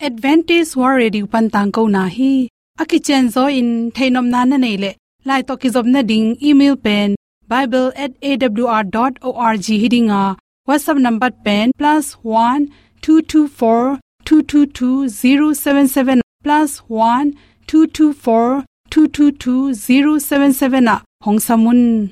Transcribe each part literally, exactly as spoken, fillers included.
Adventist World Radio pan tangkona hi. A kicianzaw in theihnopna na neih leh, lai tawh kizopna ding email pen bible at A W R dot org hi ding a, WhatsApp number pen plus one two two four two two two zero seven seven, plus one two two four two two two zero seven seven ah hong sam un.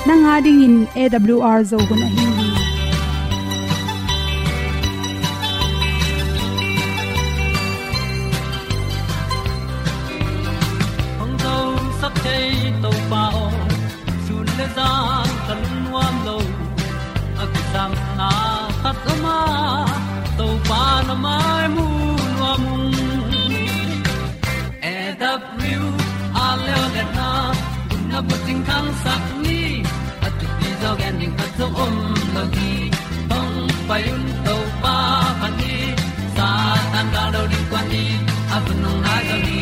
Nang a dingin A W R Zo hun ahi hi. Hong zosak thei Topa aw, sun le zan ka lungnuam lo. A kisam na khat om a, Topa na mai mu nuam ung. A W R leo le na, na bucing khangsak ni, a thupi zaw gen ding khat zong om lo hi. Hong pai un Topa phat ni, Satan gal lo ding kuan ni, a vun hong nai zaw ni,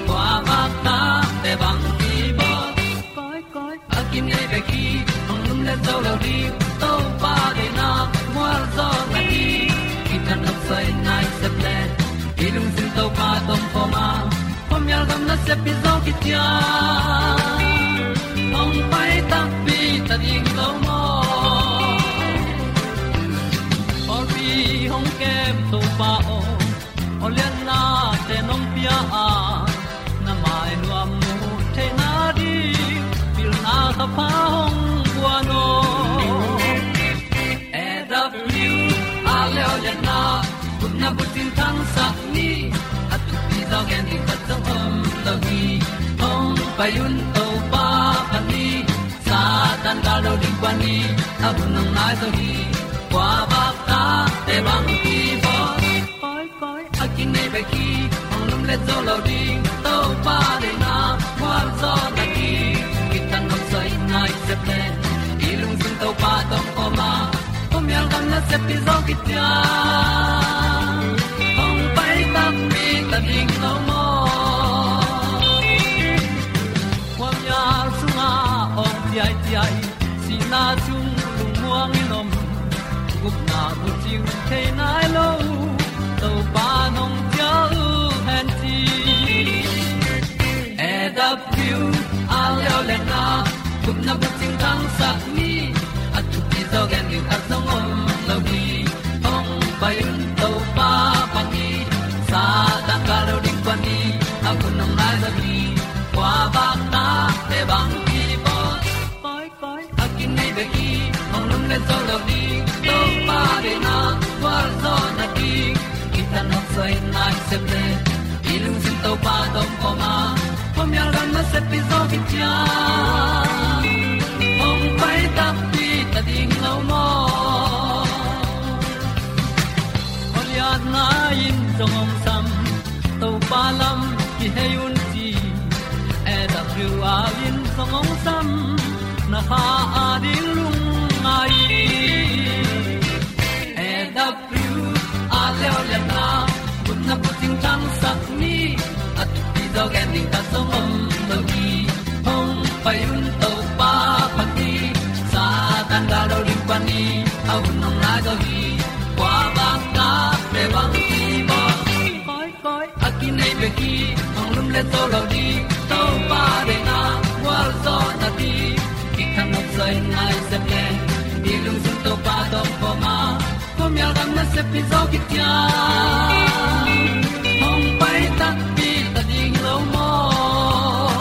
kua vak ta te bang hi bawl. Koi, koi, a kinei bek hi, hong lum le zo lo ding, Topa deihna mual zaw na hi. Kitang nok soi nai sep le, i lungsim Topa tawh om khawm a, khuamial gam nasep hi zaw kician. Hong pai takpi ta ding lo maw? Pawlpi hong kem Topa aw, aw lianna te nong pia a, na mai nuam mu theihna ding, pilna kha pha hong guan aw. A W R leo le na, gupna bucing khangsak ni, a thupi zaw gen ding khat zong om lo hi. Hong pai un Topa phat ni, Satan gal lo ding kuan ni, a vun hong nai zaw hi. Kua vak ta te bang hi bawl. Koi, koi, a kinei bek hi, hong lum le zo lo ding, Topa deihna mual zaw na hi. Kitang nok soi nai sep le, i lungsim Topa tawh om khawm a, khuamial gam nasep hi zaw kician. Hong pai takpi ta ding lo maw? Khuamial sungah awng ciaiciai, sihna sung lungmuang in om, gupna bucing thei nai lo, Topa nong ciah uh hen ci. A W R leo le na, gupna bucing khangsak ni, a thupi zaw gen ding khat zong om lo hi. Hong pai un Topa phat ni, Satan gal lo ding kuan ni, a vun hong nai zaw hi. Kua vak ta te bang hi bawl. Koi, koi, a kinei bek hi, hong lum le zo lo ding, Topa deihna mual zaw na hi. Kitang nok soi nai sep le, i lungsim Topa tawh om khawm a, khuamial gam nasep hi zaw kician. Hong pai takpi ta ding lo maw? Aw lianna in zong hong sam, Topa lam kihei un ci. A W R in zong hong sam, na kha a ding lungngai. A W R leo le na, gupna bucing khangsak ni, a thupi zaw gen ding khat zong om lo hi. Hong pai un Topa phat ni, Satan gal lo ding kuan ni, a vun hong nai zaw hi. Kua vak ta te bang hi bawl. Koi, koi, a kinei bek hi, hong lum le zo lo ding, Topa deihna mual zaw na hi. Kitang nok soi nai sep le, i lungsim Topa tawh om khawm a, khuamial gam nasep hi zaw kician. Hong pai takpi ta ding lo maw?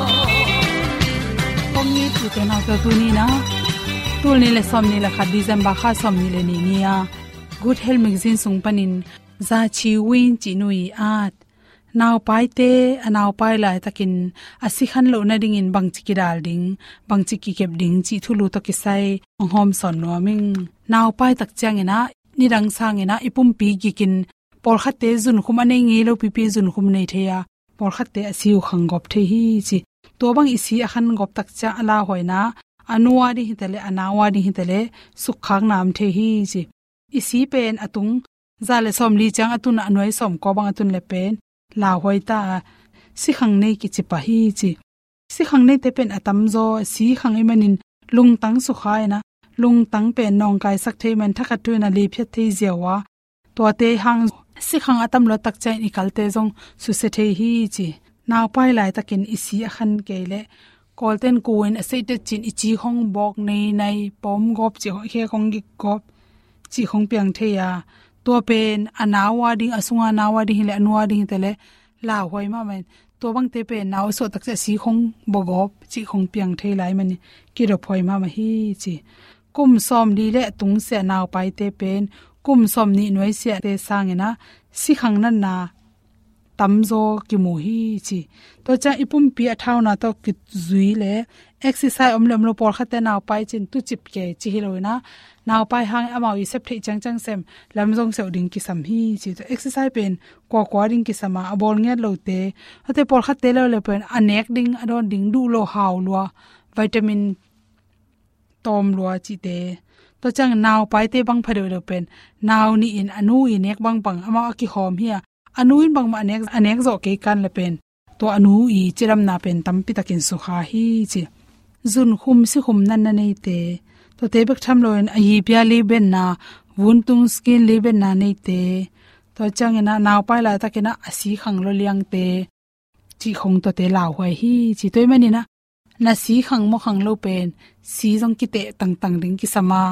Kong ni tu te nau tu ni na, tul nih le sawmnih le khat December kha sawmnih le nih ni a, Good Health Magazine sung panin Za Chi Win cih nu i at, naupaite a naupai laitakin a si khan loh nadingin bangci kidal ding, bangci kikep ding cih thulu tawh kisai hong hawmsawn nuam ing. Naupai tak ciangin ah, nidang sangin ah i pumpi gikin, pawlkhatte zunkhum a nei ngei lo pipi zunkhum nei thei a, pawlkhatte a si uh khang gawp thei hi ci. Tua bang i si a khan gawp tak ciang a lauhuaina, a nu a ding hi ta leh, a nau a ding hi ta leh, sukkhakna om thei hi ci. I si pen a tung za le sawmli ciang a tun a, a nuai sawmkua bang a tun leh pen lauhuai ta a, sikhang nei kici pah hi ci. Sikhang neite pen a tamzaw, sikhang ahih manin lungtang sukha in ah, lungtang pen nawngkaisak thei man, thakhat thu in a liphiat thei ziau a, tuate hang sikhang a tam luat tak ciangin i kalte zong susia thei hi ci. Naupai laitakin i si a khan kei leh, Kawlten ku in a seitet cin i ci khong bawk nei nai, pawm gawp ci khong, khek khong gik gawp ci khong piang thei a, tua pen a nau a ding, a sunga nau a ding hi leh, a nu a ding hi ta leh, lauhuai mahmah in. Tua bangte pen nau a suah tak ciang a si khong bawk gawp ci khong piang thei lai manin, kidop huai mahmah hi ci. Kum sawmli le a tung sia naupaite pen, kum sawmnih nuai siate sangin ah, sikhang natna tamzaw kimu hi ci. Tua ciang i pumpi a thauna tawh kizui leh, exercise om le om lo, pawlkhatte naupai cin tucip kei ci hi lo in ah, naupai hang amau i sep theih ciangciang sem, lam zong seuh ding kisam hi ci. Tua exercise pen kuakua ding kisam a, a bawl ngiat lote, ate pawlkhatte leuleu pen a nek ding, a dawn ding, duh lo, hau lua, vitamin tawm lua cihte. Tua ciang naupaite bang pha deuhdeuh pen, nau nih in a nu i nek bangbang amau a kihawm hi a, a nu in bangmah a nek, a nek zawh kei kan leh pen, tua a nu i cidamna pen tampi takin sukha hi ci. Zunkhum sikhum natna neite, tuate bek tham loin a yipia libenna, vuntung skin libenna neite, tua ciangin ah naupai laitakin ah a sikhang lua liangte, cih khong tuate lauhuai hi ci. Tua ahih manin ah, na sikhang maw khang lo pen, si zong kiteh tangtang ding kisam a,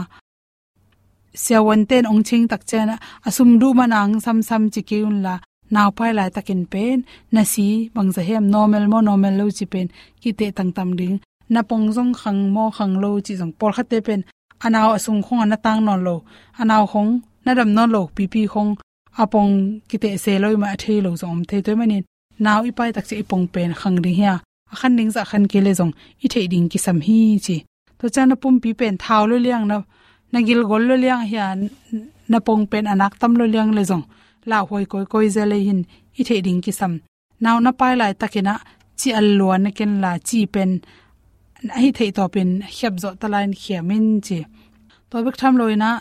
siavuante in ong ching tak ciang ah, a sum duh man a ong samsam ci kei un la, naupai laitakin pen, na si bangzah hiam, normal maw normal lo ci pen, kiteh tangtang ding. Na pong zong khang maw khang lo ci zong, pawlkhatte pen, a nau a sung khong a na tang nawn lo, a nau khong na dam nawn lo pipi khong, a pong kiteh se lo, i mah a thei lo zong om thei. Tua ahih manin, nau i pai tak ciang i pong pen khang ding hi a, a khan ding zah khan kei leh zong i theih ding kisam hi ci. Tua ciang na pumpi pen thau lua liang, na, na gil gol lua liang hi a, na pong pen a nak tam lua liang leh zong, lauhuai kawikawi zel lei hin i theih ding kisam. Nau na pai laitakin ah, ci al lua na ken la, ci pen a hih theih tawpin khiap zawh ta lai-in khiam in ci. Tua bek tham loin ah,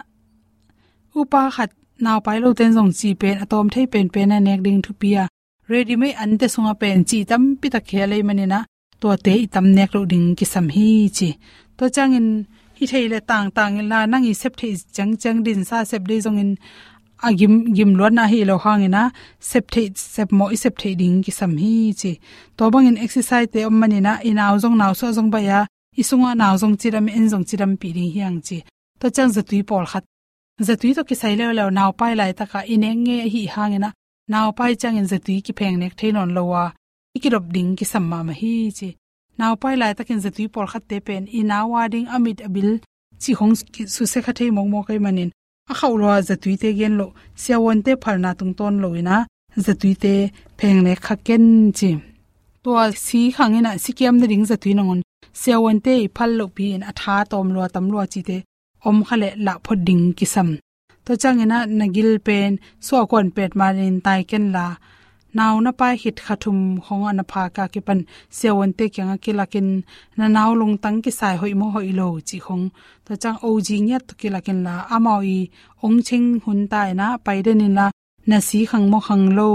upa khat naupai lote'n zong ci pen a tawm thei penpen a nek ding thupi a, readymade ante sungah pen ci tampi tak khia lei manin ah, tuate i tam nek loh ding kisam hi ci. Tua ciangin hih thei leh tangtang in la, nang i sep theih ciangciang dinsa sep dei zongin, a gim, gim luatna hi lo hangin ah, sep theih, sep mawh i sep theih ding kisam hi ci. Tua bangin exercise-te om manin ah, i nau zong, nau suah zong baih a, i sunga nau zong cidam, en zong cidampih ding hi hang ci. Tua ciang zatui pawlkhat, zatui tawh kisai leuleu, naupai laitakah i nek ngei ahih hangin ah, naupai ciangin zatui kipheng nek thei nawn lo a, i kidop ding kisam mahmah hi ci. Naupai laitakin zatui pawlkhatte pen, i nau a ding, a mit a bil cih khong ki-, susia kha thei mawkmawk ahih manin, a khauh lua zatuite gen loh, siavuante phalna tungtawn loin ah, zatuite pheng nek kha ken ci. Tua sikhang in ah, sikiam nading zatui nangawn, siavuante i phal lohpi-in a tha tawm lua tam lua cihte om kha leh lah phot ding kisam. Tua ciangin ah, na gil pen suah kuan petmanin tai ken la, nau na pai khit kha thum khong a na phak a kipan, siavuante kiangah kilakin, na nau lungtang kisai hoih maw hoih lo cih khong, tua ciang O G ngiat tawh kilakin la, amau i ong ching hun ta in ah, pai den in la, na sikhang maw khang lo,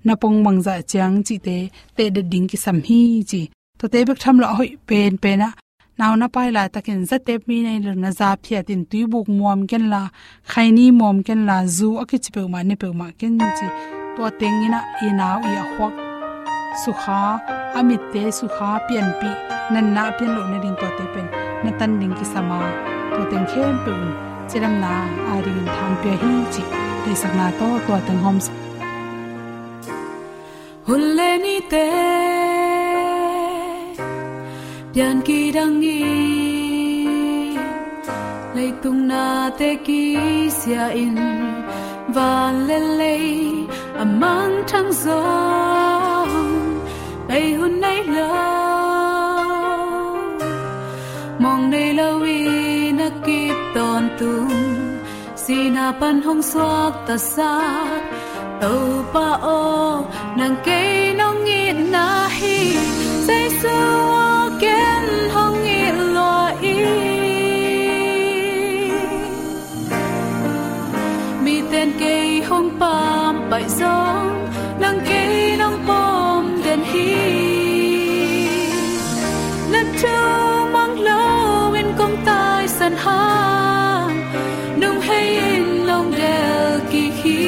na pong bangzah ciang cihte tehdet ding kisam hi ci. Tuate bek tham loh a hoih penpen ah, nau na pai laitakin zatep mi nei lo na za phiatin tuibuk muam ken la, khaini muam ken la, zu a kici peuhmah ne peuhmah ken ci. Tua tengin ah, i nau i a khuak sukha, a mitte sukha, pianpih, natna a pian loh nading tuate pen na tan ding kisam a, tua teng khempeuh in cidamna a dingin thang pia hi ci. Deihsakna tawh tua teng hawmsak. Hun le nite pian kidang in, leitung nate kisia in, van le lei a mangthang zong, bei hun nei lo, mawng nei lo in a kip tawntung. Sihna pan hong suaktasak Topa aw, nang kei nong itna hi. Jesu aw, ken hong it lua ing. Miten kei hong pampaih zong, nang kei nong pom den hi. Na thu mang loin kong taisan hang, nong hei in nong del kik hi.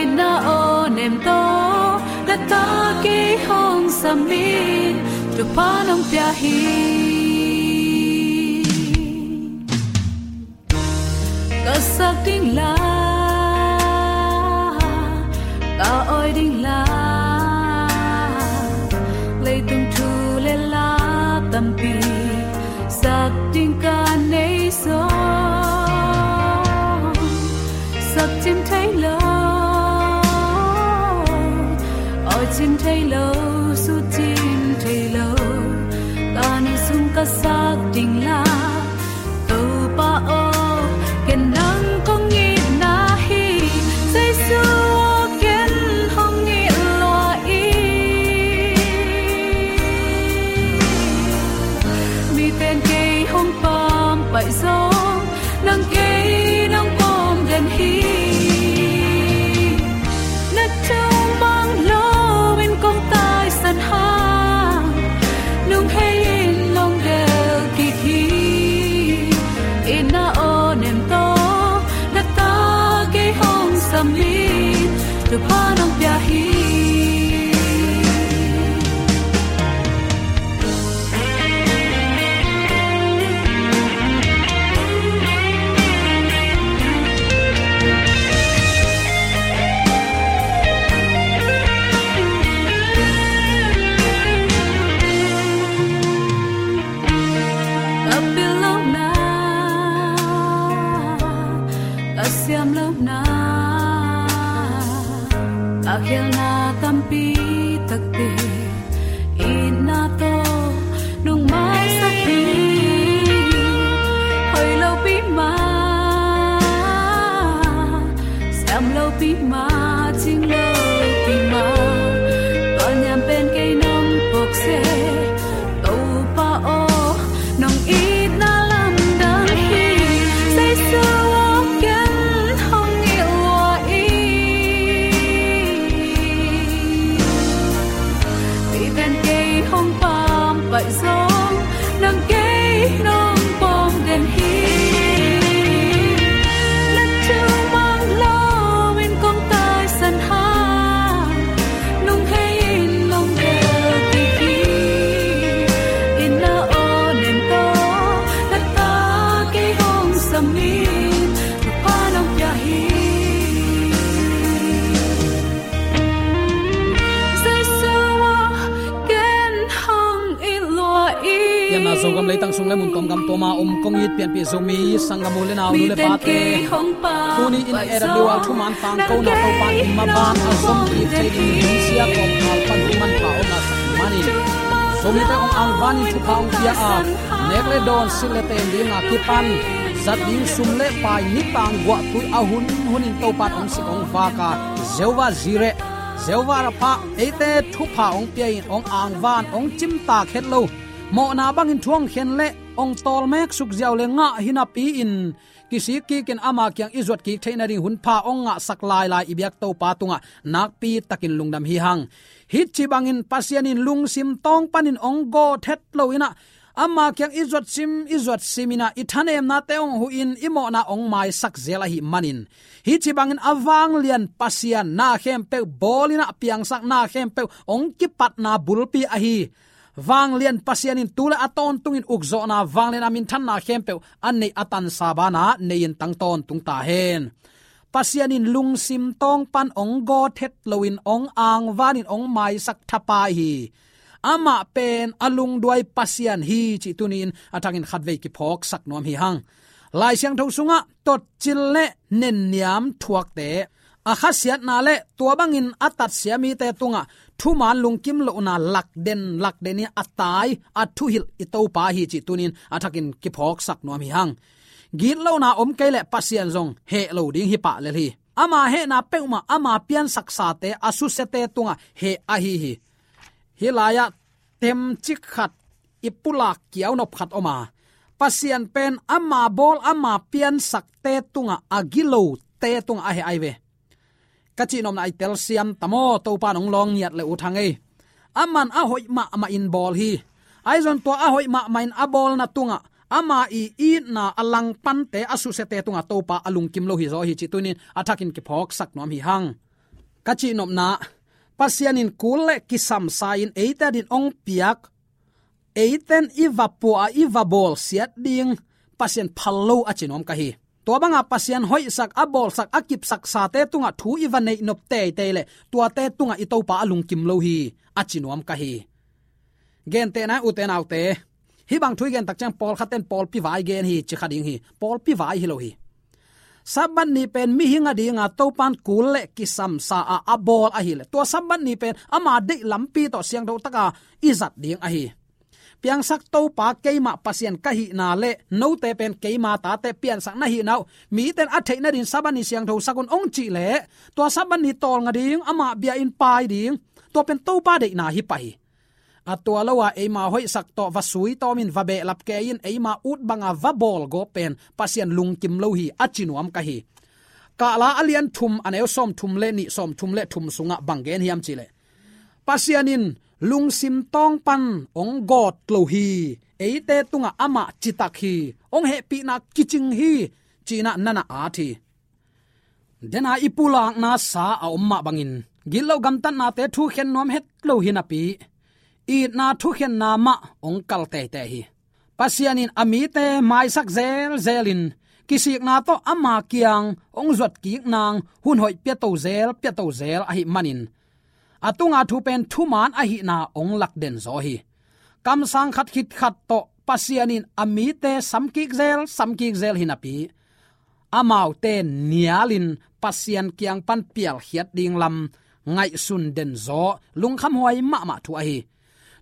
Itna aw nem tawh, na ta kei hong sam in, thupha nong pia hi. Ka sak ding la, ka awi ding la, leitung thu le la tampi sak ding ka nei zong, sak cin thei lo, awi cin thei lo, sut cin thei lo, ka nu sung ka sak ding la. Topa aw, ken nang kong itna hi. Jesu aw, ken hong it lua ing. Miten kei hong pampaih zong, nang kei nong pom den hi. Na thu mang loin kong taisan hang, nong hei in nong del kik hi. Itna aw nem tawh, na ta kei hong sam in, thupha nong pia hi. Ka pil lohna, ka siam lohna, ka khelna tampi takte, itna tawh nong maisak hi. Hoih lopi mah, siam lopi mah, cing lopi mah, ka niam pen kei nong phawk seh. Topa aw, nong itna lamdang hi. Jesu aw, ken hong it lua ing. Miten kei hong pampaih zong, nang kei nong pom den hi. Na thu mang loin kong taisan hang, nong hei in nong del kik hi. Itna aw nem tawh, na ta kei hong sam in, thupha nong pia hi. Jesu aw, ken hong it lua ing. Pianna Zogam leitang sung le mun tuam gam tuam a om kong it pianpih Zomi sanggam u le nau, nu le pate, tuni in A W R thuman tangkona Topa'n i maban a zom kik thei dingin sia kawmkal pan thu manpha hong ngahsak manin, Zomite hong angvanin thupha hong pia a, nek le dawn, silh le ten ding a kipan zat ding sum le pai, nitang guahtui a hun hunin Topa'n hong sik hong vak a, Jehovah Jireh, Jehovah Rapha, eite thupha hong pia in, hong angvan, hong cimtak het lo, mawhna bangin thu hong khen le hong tawlmek suk ziau le ngah hi napi-in, kisik kikin ama kiang i zuat kik theih nading hunpha hong ngahsak lailai i biak Topa tungah nakpi takin lungdam hi hang. Hih ci bangin Pasian in lungsim tawng panin hong gawt het lo in ah, ama kiang i zuat sim, i zuat sim in ah, i thanemnate hong huh in, i mawhna hong maisak zel ahih manin, hih ci bangin a vanglian Pasian, na khempeuh bawl in ah, piangsak, na khempeuh hong kipatna bulpi ahi vanglian Pasian in tu le a tawntungin ukzawhna, vanglian a minthanna khempeuh a neih a tansa banah nei-in tang tawntung ta hen. Pasian in lungsim tawng pan hong gawt het loin hong angvanin hong maisak thapai hi. Amah pen a lungduai Pasian hi cih tuni-in a thakin khatvei kiphawksak nuam hi hang. Lai Siangtho sungah totcil le nenniam thuakte, a khasiatna le tua bangin a tatsia mite tungah thuman lungkim lohna lakden lakden in a tai, a thuhilh i Topa hi cih tuni-in a thakin kiphawksak nuam hi hang. Gitlohna om kei leh Pasian zong heh lo ding hi pah lel hi. Ama hehna peuhmah ama piansaksate a susiate tungah heh ahi hi. Hih lai-ah temcik khat, i pulak kiaunop khat om a, Pasian pen ama bawl ama piansakte tungah a gilote tungah a heh ahi ve. Ka cihnopna i telsiam ta maw, Topa in hong lawng ngiat le uh hang ei. Aman a hoih mahmah in bawl hi. Ahi zong tua a hoih mahmah in a bawlna tungah ama i itna a langpante a susiate tungah Topa a lungkim lo hi zaw hi cih tuni-in a thakin kiphawksak nuam hi hang. Ka cihnopna, Pasian in kul le kisamsa in eite adingin hong piak, eite'n i va pua a, i va bawlsiat ding Pasian phal lo a ci nuam ka hi. Tua banga Pasian hoihsak, a bawlsak, a kipsaksate tungah thu i va neih nop teitei leh tuate tungah i Topa a lungkim lo hi a ci nuam ka hi. Gentehna-in ute naute, hih bang thu i gen tak ciang pawlkhatte'n pawlpi vai gen hi ci kha ding hi. Pawlpi vai hi lo hi. Sabbath ni pen mihing adinga Topa in kul le kisamsa a a bawl ahih leh, tua Sabbath ni pen ama deih lampi tawh siangtho taka i zat ding ahi. Piangsak Topa, keimah Pasian ka hihna le note pen keima tate piansak na hihna uh mite'n a theih nadingin Sabbath ni siangthosak un hong cih leh, tua Sabbath ni tawlnga ding, ama bia-in pai ding, tua pen Topa deihna hi pah hi. A tua lo-a eima hoihsak tawh va sui tawmin, va behlap kei-in, eima ut banga va bawl gawp pen Pasian lungkim lo hi a ci nuam ka hi. Kahla a lian thum, a neu sawmthum le nih, sawmthum le thum sungah bang gen hiam cih leh, Pasian in lungsim tawng pan hong gawt lo hi. Eite tungah amah citak hi. Hong hehpihna kicing hi, ci-in ah na na at hi. Dena i pulakna sa a om mah bangin, gitloh gamtatnate thukhen nuam het lo hi napi, itna thukhenna mah hong kal teitei hi. Pasian in a mite maisak zelzelin, kisikna tawh ama kiang hong zuat kik nang hun hoih piato zel, piato zel ahih manin, a tunga thu pen thuman ahihna hong lak den zaw hi. Kamsang khat khit khat tawh Pasian in a mite samkik zel, samkik zel hi napi, amaute nialin Pasian kiang pan pialkhiat ding lam ngaihsun den zaw, lungkhamhuai mahmah thu ahi.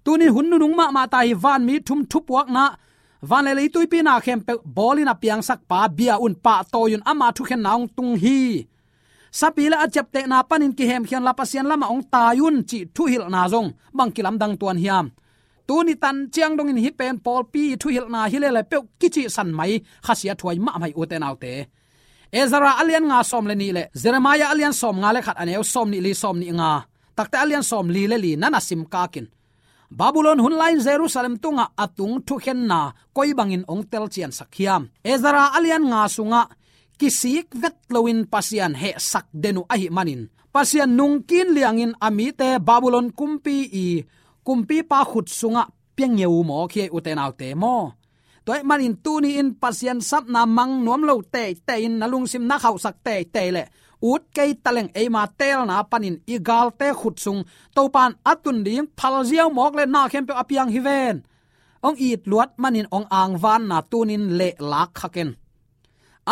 Tuni hun nunung mahmah ta hi. Vanmi thum thupuakna, van le lei tuipi na khempeuh bawlin a piangsak pa bia un, pahtawi un, ama thukhenna hong tung hi. Sapi le a ciaptehna panin kihemkhia unla Pasian lamah hong tai un cih thuhilhna zong bang kilamdang tuan hiam. Tuni tan ciang dongin hih pen pawlpi thuhilhna hi lele peuh kicihsan mai, khasiathuai mahmah hi ute naute. Ezra a lian nga sawm le nih le Jeremiah a lian sawmnga le khat, a neu sawmnih li, sawmnih nga, takte a lian sawmli le li na na sim kakin, Babylon hun lai-in Jerusalem tungah a tung thukhenna koi bangin hong telciansak hiam. Ezra a lian nga sungah kisik vet loin Pasian hehsak den uh ahih manin, Pasian nungkin liangin a mite Babylon kumpi i kumpipa khut sungah pia ngeu mawk hi ei ute naute maw. Tua ahih manin tuni-in Pasian sapna mang nuam lo teitei in na lungsim na khauhsak teitei leh, ut kei taleng eima teelna panin i galte khut sung Topa in a tun ding phalziau mawk le na khempeuh a piang hi ven. Hong it luat manin hong angvanna tunin lehlak kha ken.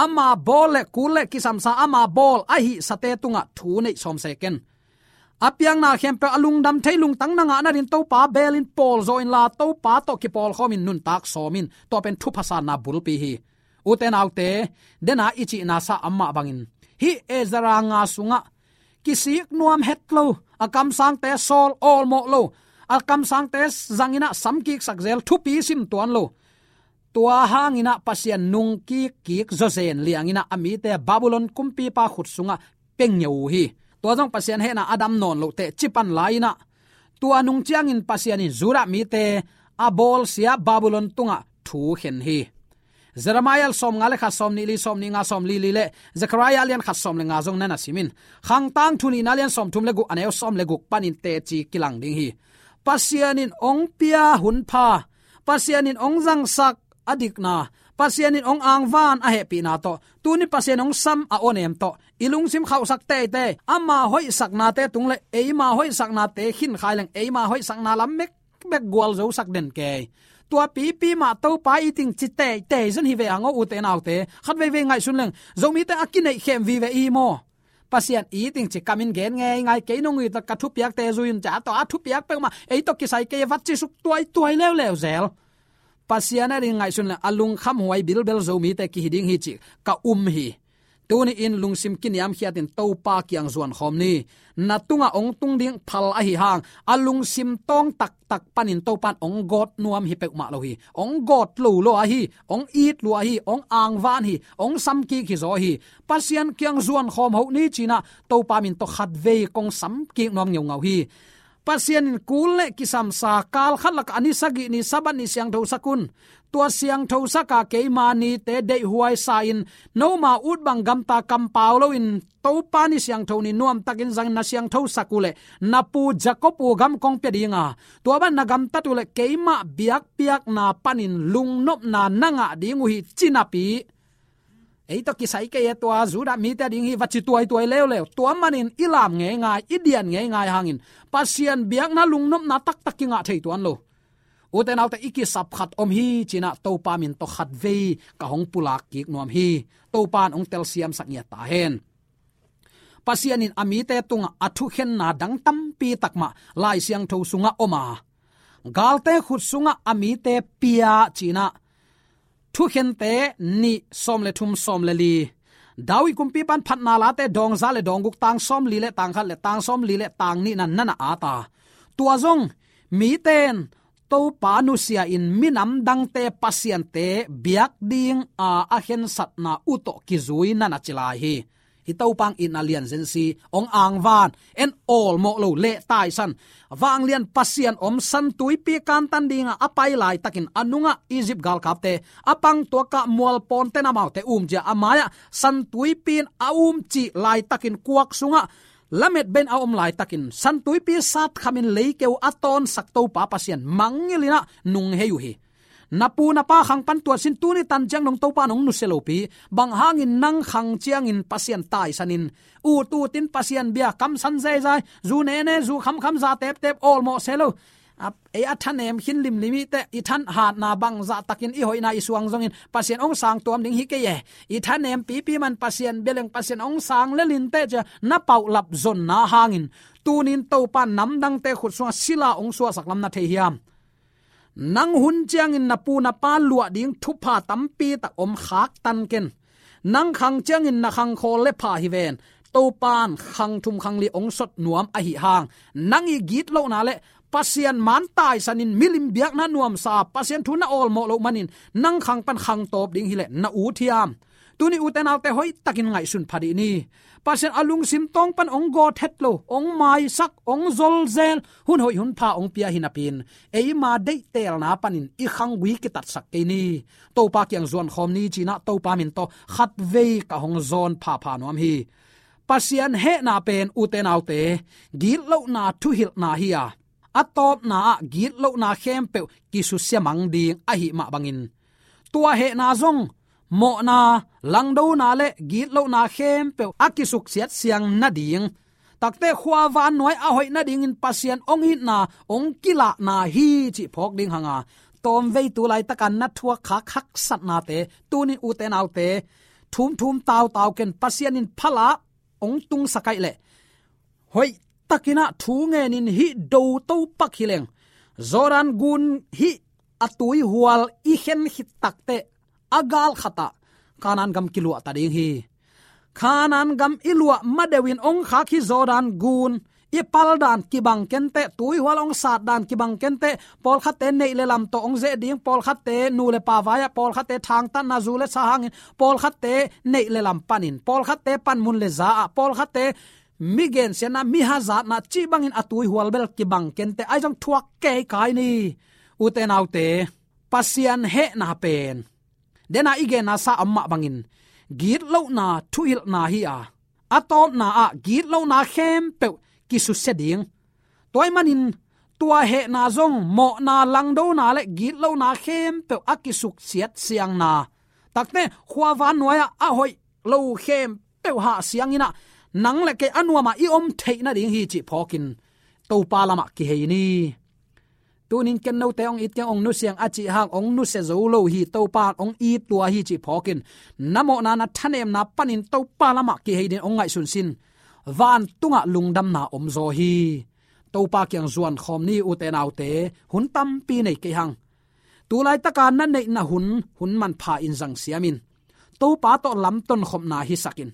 Ama bawl le kul le kisamsa, ama bawl a hihsate tungah thu neih sawm se ken. A piakna khempeuh a lungdam thei lungtang na ngah nadin Topa belin pawl zaw inla, Topa tawh kipawlkhawmin nuntak sawm in, tua pen thupha sanna bulpi hi. Ute naute, dena i cihna sa a om mah bangin, hih Ezra nga sungah kisik nuam het lo, a kamsangte sawl awlmawh lo, a kamsangte zangin ah samkiksak zel, thupi sim tuan lo. Tua hangin ah Pasian nungkik kik zawzen liangin ah a mite Babylon kumpipa khut sungah pia ngeu uh hi. Tua zong Pasian hehna a dam nawn loh teh ci pan lai-in ah, tua nung ciangin Pasian in Judah mite a bawlsia Babylon tungah thu khen hi. Jeremiah sawmnga le khat, sawmnih li, sawmnih nga, sawmli li le Zechariah a lian khat sawm le nga zong na na sim in. Khang Tangthu nihna a lian sawmthum le guk, a neu sawm le guk panin teci kilang ding hi. Pasian in hong pia hun pha, Pasian in hong zangsak a dikna, Pasian in hong angvan a hehpihna tawh, tuni Pasian hong sam a awnem tawh i lungsim khauhsak teitei, ama hoihsaknate tung le eima hoihsaknate khin khai leng, eima hoihsakna lam mek bek gualzosak den kei. Tua pipi mah Topa i ting ci teitei zon hi ve hang aw ute naute. Khat veivei ngaihsun leng, Zomite a kineih khem vive i hi maw. Pasian i ting ci kamin gen ngeingai, kei nong it ka thupiakte zui un ci a, tua a thupiak peuhmah ei tawh kisai kei a vat ci suk tuaituai leuleu zel. Pasian a ding ngaihsun le a lungkham huai bilbel Zomite kihi ding hi cih ka um hi. Tuni-in lungsim kiniamkhiatin Topa kiang zuankhawm ni. Na tungah hong tung ding phal ahi hang a lungsim tawng taktak panin Topan hong gawt nuam hi peuhmah lo hi. Hong gawt lo lo ahi, hong it lua hi, hong angvan hi, hong samkik hi zaw hi. Pasian kiang zuankhawm hoh ni cinah Topa min tawh khatvei kong samkik nuam ngeungau hi. Pasian in kul le kisamsa kal khat lakah a ni sagih ni Sabbath ni siangthosak un. Tua siangthosaka keima nite deihhuai sa-in noma ut bang gamta kampau loin Topa ni siangtho ni nuamtakin zangin na siangthosak uh leh na pu Jacob uh gam kong pia dinga, tua ban na gamtat uh leh keimah biakpiakna panin lungnopna na ngah ding uh hi, ci napi ei tawh kisai kei e, tua Judah mite a ding hi va ci tuaituai leuleu. Tua manin i lam ngeingai, i dian ngeingai hangin Pasian biakna lungnopna taktak kingah thei tuan lo. Ute naute, i kisap khat om hi cinah Topa min tawh khatvei ka hong pulak kik nuam hi. Topan hong telsiamsak ngiat ta hen. Pasian in a mite tungah a thukhenna dang tampi takmah Lai Siangtho sungah om a, galte khut sungah a mite pia cinah Thukhente nih sawm le thum, sawm le li. David kumpipan Phatna Late dawng za le dawng guk, tang sawm li le tang khat le tang sawm li le tang nihna na na at a. Tua zong miten Topa nusia-in minam dangte pasiante biak dinga a khensatna uh tawh kizui na na ci lai hi. Hih Topa hong itna lian zensi, hong angvan, en awlmawh lo, leh taisan. Vanglian Pasian om, San Tuipi kantan dinga a pai laitakin, a nungah Egypt galkapte a pang tuakah mualpawnten amaute umzia a mai-ah San Tuipi in a umcih laitakin, kuak sungah lametbeiin a om laitakin, San Tuipi satkhamin leikeu a tawnsak Topa Pasian mangngilh in ah nunghei uh hi. Na pu na pa khang pan tuat sin, tuni tan ciang dong Topa in hong nusia lopi. Bang hangin nang khang ciangin Pasian taisanin, ut utin Pasian bia kamsan zeizai, zu nene, zu khamkham, za teptep, awlmawh se lo. A, ei a thanem khin limlim i teh, i thanhatna bangzah takin i hoihna i suang zongin Pasian hong sang tuam ding hi kei e. I thanem pipi man Pasian bia leng Pasian hong sang lel in teh cia na paulap zonna hangin, tunin Topa namdangte khut sungah sila hong suahsak lam na thei hiam? Nang hun ciangin na pu na pa luah ding thupha tampi tak om, khaktan ken. Nang khang ciangin na khang khawl le pha hi ven. Topan khang thum khang li hong sot nuam ahi hang, nang i gitlohna le Pasian man taisanin milim biakna nuamsa, Pasian thu na awlmawh loh manin nang khang pan khang tawp ding hileh na ut hiam? Tuni ute naute hoihtakin ngaihsun pha dih ni. Pasian a lungsim tawng pan hong gawt het lo, hong maisak, hong zolzel, hun hoih hun pha hong pia hi napi-in, eima deihtelna panin i khanggui kitatsak kei ni. Topa kiang zuankhawm ni cinah Topa min tawh khatvei ka hong zawn phapha nuam hi. Pasian hehna pen ute naute, gitlohna thuhilhna hi a, a tawpna ah gitlohna khempeuh kisusia mang ding ahi mah bangin, tua hehna zong mawhna, langdona le gitlohna khempeuh a kisuksiat siang nading, takte khuavan nuai a hoih nadingin Pasian hong itna hong kilahna hi cih phawk ding hanga, tawmvei tu laitakan na thuak khak haksatnate tunin ute naute thumthum tautau ken. Pasian in phala hong tungsak ahih leh hoihtakin ah thu ngenin hih do topak hi leng, Jordan gun hih a tuihual i khen khit takteh a gal khatah Kanaan gam kiluahta ding hi. Kanaan gam i luah madeuhin hong khak hih Jordan gun i pal dan kibang kenteh, tuihual hong sat dan kibang kenteh, pawlkhatte neih le lam tawh hong zeh ding, pawlkhatte nu le pa vai-ah, pawlkhatte thangtatna zu le sa hangin, pawlkhatte neih le lam panin, pawlkhatte panmun le za-ah, pawlkhatte mi gensiatna, mi hazatna cih bangin a tuihual bel kibang kenteh, ahi zong thuak kei kai ni. Ute naute, Pasian hehna pen dena i genna sa om mah bangin gitlohna thuhilhna hi a, a tawpna ah gitlohna khempeuh kisusia ding. Tua ahih manin tua hehna zong mawhna, langdona le gitlohna khempeuh a kisuksiat siangna, takte khuavan nuai-ah a hoih lo khempeuh hah siangin ah nang le kei a nuamah i om theih nading hi cih phawkin Topa lamah kihei ni. Tunin ken note hong it keng, hong nusiang a cih hang hong nusia zo lo hi, Topa hong it lua hi cih phawkin, na mawhna, na thanemna panin Topa lamah kihei dingin hong ngaihsun sin. Vantungah lungdamna omzaw hi. Topa kiang zuankhawm ni ute naute, hun tampi nei kei hang. Tulaitaka na neihna hun, hun manpha in zangsiam in. Topa tawh lamton khopna hisak in.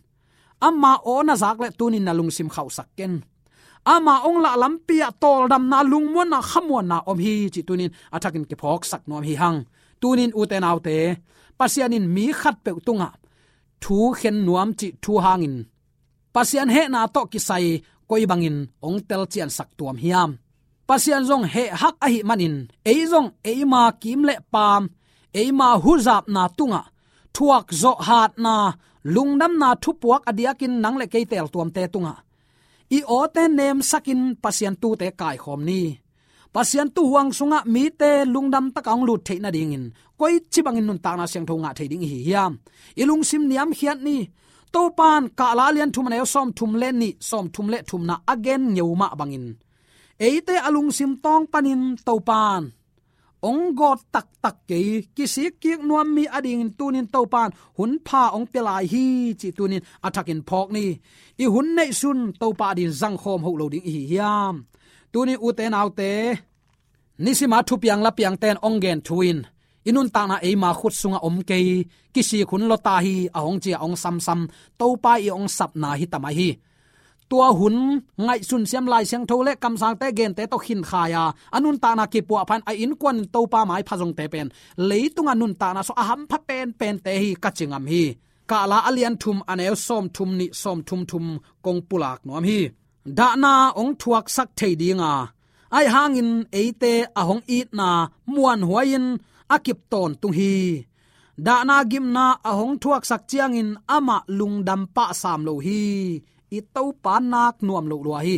Ama aw na zak leh tunin na lungsim khauhsak ken. Ama hong lah lampi ah tawldamna, lungmuanna, khamuanna om hi cih tunin a thakin kiphawksak nuam hi hang. Tunin ute naute, Pasian in mi khatpeuh tungah thu khen nuam cih thu hangin Pasian hehna tawh kisai koi bangin hong telciansak tuam hiam? Pasian zong heh hak ahih manin, ei zong eima kim le paam, eima huzapna tungah, thuak zawh hatna, lungdamna thupuak a diakin nang le kei teeltuamte tungah i awte nemsakin Pasian tuute kaikhawm ni. Pasian tuuhuang sungah mite lungdam taka hong lut theih nadingin koici bangin nuntakna siangtho ngah thei ding i hi hiam? I lungsim niamkhiat ni. Topan Kahla a lian thum a neu sawmthum le nih, sawmthum le thumna a gen ngeu mah bangin, eite a lungsim tawng panin Topan hong gawt taktak kei, kisikkik nuam mi adingin tunin Topan hun pha hong pia lai hi cih tunin a thakin phawk ni. I hun neihsun Topa adingin zangkhawm hoh lo ding i hi hiam? Tunin ute naute, nisima thupiang lapiangte in hong gen thu in i nuntakna eima khut sungah om kei, kisik hun lua ta hi, a hong ci a hong samsam Topa i hong sapna hi ta mai hi. Tua hun ngaihsun siam Lai Siangtho le kamsangte gente tawh khinkhai a, a nuntakna kipuahpha in a innkuan in Topa maipha zongte pen leitunga nuntakna sung a hampha penpente hi ka ci ngam hi. Kahla a lian thum a neu sawmthum nih, sawmthum thum kong pulak nuam hi. Dahna hong thuaksak thei dinga, ahi hangin eite a hong itna muanhuai-in a kip tawntung hi. Dahna gimna a hong thuaksak ciangin amah lungdam pah sam lo hi. I Topa nak nuam loh lua hi.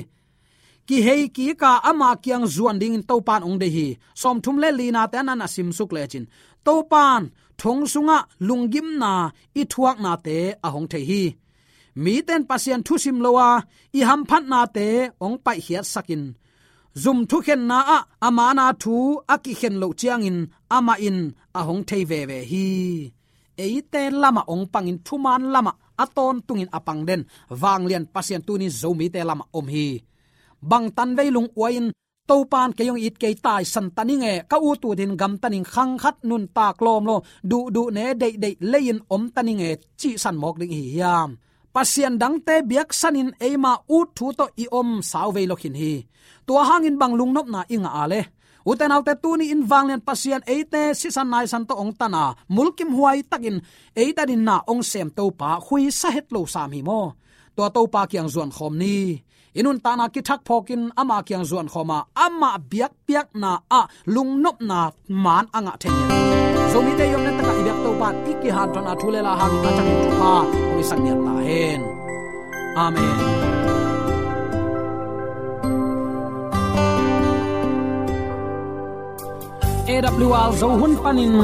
Kihei kika ama kiang zuan dingin Topan hong deih hi. Sawmthum le linate a nan a simsuk lecin, Topan thong sungah lunggimna i thuaknate a hong thei hi. Mite in Pasian thusim lo a, i hamphatnate hong paihkhiatsakin, zum thukhenna ah a mana thu a kikhen loh ciangin amah in a hong thei veve hi. Eite lamah hong pangin thuman lamah a tawntungin a pang den vanglian Pasian tunin Zomite lamah om hi. Bang tanvei lungua-in Topan kei hong it kei, taisan ta ning e, ka ut utin gamta ning, khang khat nuntak lawmlawm, duhduh ne deihdeih lei-in om ta ning e, cihsan mawk ding i hi hiam? Pasian dangte biaksanin eima ut thu tawh i om sauvei lo khin hi. Tua hangin bang lungnopna i ngah a le? Ute naute, tuni in vanglian Pasian eite sisan naisan tawh hong tan a, mulkimhuai takin eite adingin na hong sem Topa khuisa het lo sam hi maw? Tua Topa kiang zuankhawm ni. I nuntakna kithak phawkin ama kiang zuankhawm a, ama biakpiakna ah lungnopna maan a ngah thei hi. Zomite i om nai takah i biak Topa in i kihanthawnna thu le la hangin a thakin thupha hong hisak ngiat ta hen. Amen. A W R Zo hun panin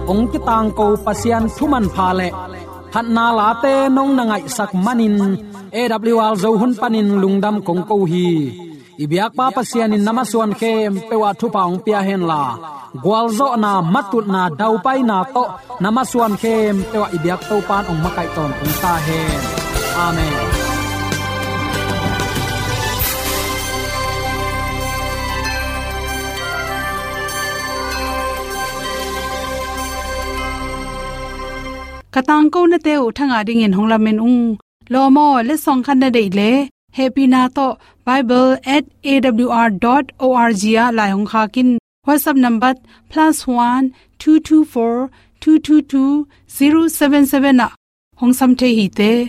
hong kitangko Pasian thu manpha le phatna late nong na ngaihsak manin A W R Zo hun panin lungdam kong ko hi. I biakpa Pasian in na masuan khempeuh ah thupha hong pia henla, gualzawhna, matutna, daupaina tawh na masuan khempeuh ah i biak Topan hong makaih tawntung ta hen. Amen. Ka tangkonate uh thangah dingin hong lamen ung. Lawm aw, letsong khat na deih leh hehpihna tawh bible at A W R dot O R G ah lai hong khak in. WhatsApp number plus one two two four two two two zero seven seven ah hong sam thei hi te.